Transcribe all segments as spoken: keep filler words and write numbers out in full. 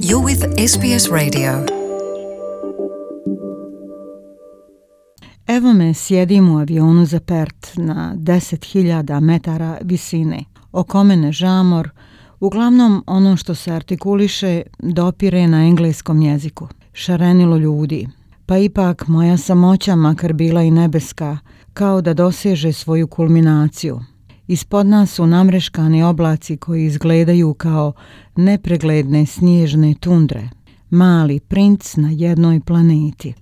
You're with S B S Radio. Evo me, sjedim u avionu za Perth na deset hiljada metara visine. Oko mene žamor, uglavnom ono što se artikuliše dopire na engleskom jeziku. Šarenilo ljudi. Pa ipak moja samoća, makar bila i nebeska, kao da doseže svoju kulminaciju. Ispod nas su namreškani oblaci koji izgledaju kao nepregledne snježne tundre. Mali princ na jednoj planeti.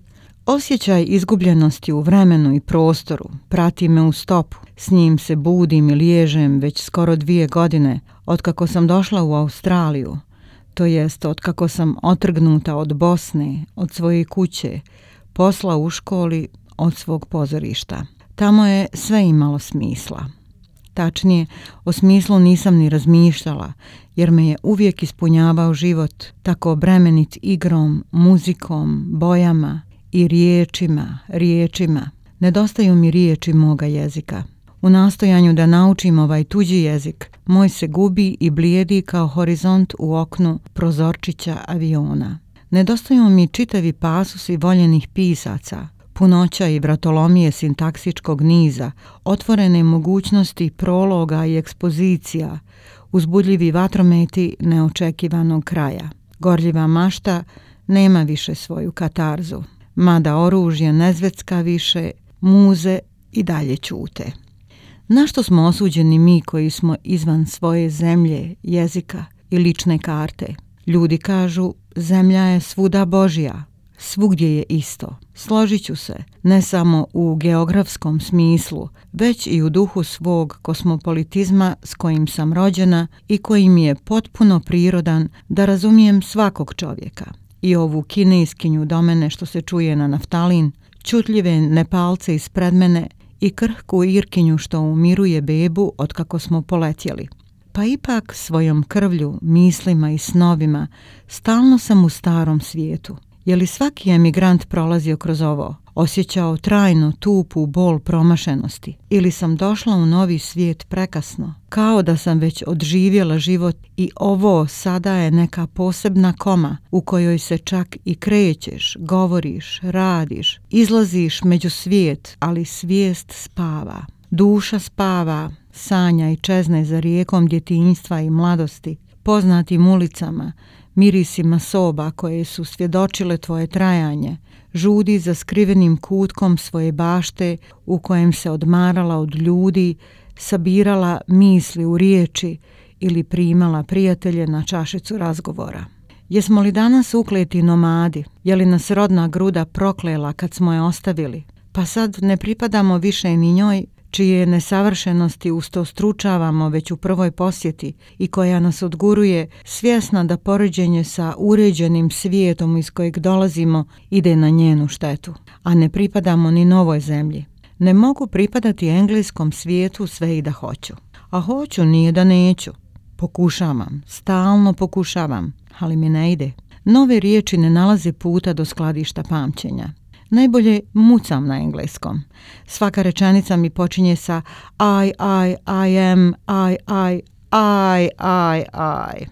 Osjećaj izgubljenosti u vremenu i prostoru prati me u stopu. S njim se budim i liježem već skoro dvije godine otkako sam došla u Australiju, to jest otkako sam otrgnuta od Bosne, od svoje kuće, posla u školi, od svog pozorišta. Tamo je sve imalo smisla. Tačnije, o smislu nisam ni razmišljala, jer me je uvijek ispunjavao život, tako bremenit igrom, muzikom, bojama i riječima, riječima. Nedostaju mi riječi moga jezika. U nastojanju da naučim ovaj tuđi jezik, moj se gubi i blijedi kao horizont u oknu prozorčića aviona. Nedostaju mi čitavi pasusi voljenih pisaca, punoća i vratolomije sintaksičkog niza, otvorene mogućnosti prologa i ekspozicija, uzbudljivi vatrometi neočekivanog kraja. Gorljiva mašta nema više svoju katarzu, mada oružje ne zvecka više, muze i dalje ćute. Na što smo osuđeni mi koji smo izvan svoje zemlje, jezika i lične karte? Ljudi kažu, zemlja je svuda Božja, svugdje je isto. Složit ću se, ne samo u geografskom smislu, već i u duhu svog kosmopolitizma s kojim sam rođena i koji mi je potpuno prirodan da razumijem svakog čovjeka. I ovu kineskinju do mene što se čuje na naftalin, čutljive Nepalce ispred mene i krhku Irkinju što umiruje bebu otkako smo poletjeli. Pa ipak svojom krvlju, mislima i snovima stalno sam u starom svijetu. Je li svaki emigrant prolazio kroz ovo, osjećao trajno tupu bol promašenosti, ili sam došla u novi svijet prekasno, kao da sam već odživjela život i ovo sada je neka posebna koma u kojoj se čak i krećeš, govoriš, radiš, izlaziš među svijet, ali svijest spava. Duša spava, sanja i čezne za rijekom djetinjstva i mladosti, poznatim ulicama, mirisima soba koje su svjedočile tvoje trajanje, žudi za skrivenim kutkom svoje bašte u kojem se odmarala od ljudi, sabirala misli u riječi ili primala prijatelje na čašicu razgovora. Jesmo li danas ukleti nomadi? Je li nas rodna gruda proklela kad smo je ostavili? Pa sad ne pripadamo više ni njoj, čije nesavršenosti ustostručavamo već u prvoj posjeti i koja nas odguruje, svjesna da poređenje sa uređenim svijetom iz kojeg dolazimo ide na njenu štetu, a ne pripadamo ni novoj zemlji. Ne mogu pripadati engleskom svijetu sve i da hoću. A hoću nije da neću. Pokušavam, stalno pokušavam, ali mi ne ide. Nove riječi ne nalaze puta do skladišta pamćenja. Najbolje mucam na engleskom. Svaka rečenica mi počinje sa I, I, I am, I, I, I, I, I.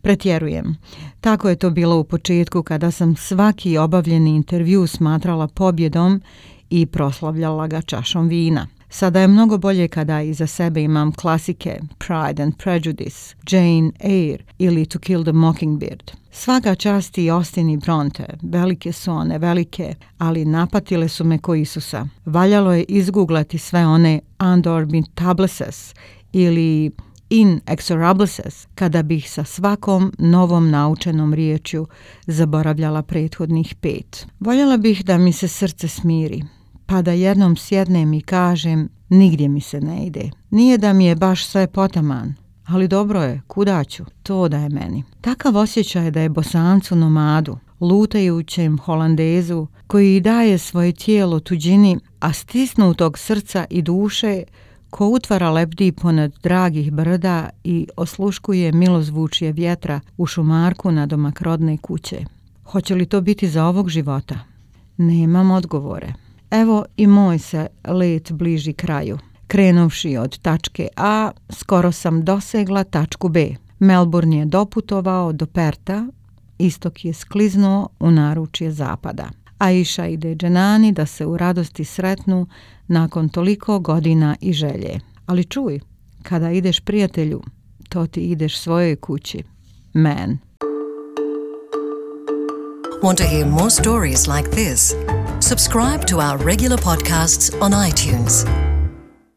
Pretjerujem. Tako je to bilo u početku kada sam svaki obavljeni intervju smatrala pobjedom i proslavljala ga čašom vina. Sada je mnogo bolje kada iza sebe imam klasike Pride and Prejudice, Jane Eyre ili To Kill the Mockingbird. Svaka čast i Austen i Bronte, velike su one, velike, ali napatile su me ko Isusa. Valjalo je izguglati sve one Undormitables ili Inexorables kada bih sa svakom novom naučenom riječju zaboravljala prethodnih pet. Voljela bih da mi se srce smiri, pa da jednom sjednem i kažem, nigdje mi se ne ide. Nije da mi je baš sve potaman, ali dobro je, kuda ću, to da je meni. Takav osjećaj da je Bosancu nomadu, lutajućem Holandezu, koji daje svoje tijelo tuđini, a stisnutog srca i duše, ko utvara lebdi ponad dragih brda i osluškuje milozvučje vjetra u šumarku nadomak rodne kuće. Hoće li to biti za ovog života? Nemam odgovore. Evo i moj se let bliži kraju. Krenuvši od tačke A, skoro sam dosegla tačku B. Melbourne je doputovao do Perta, istok je skliznuo u naručje zapada. Aisha ide Dženani da se u radosti sretnu nakon toliko godina i želje. Ali čuj, kada ideš prijatelju, to ti ideš svojoj kući. Man. Want to hear more stories like this? Subscribe to our regular podcasts on iTunes.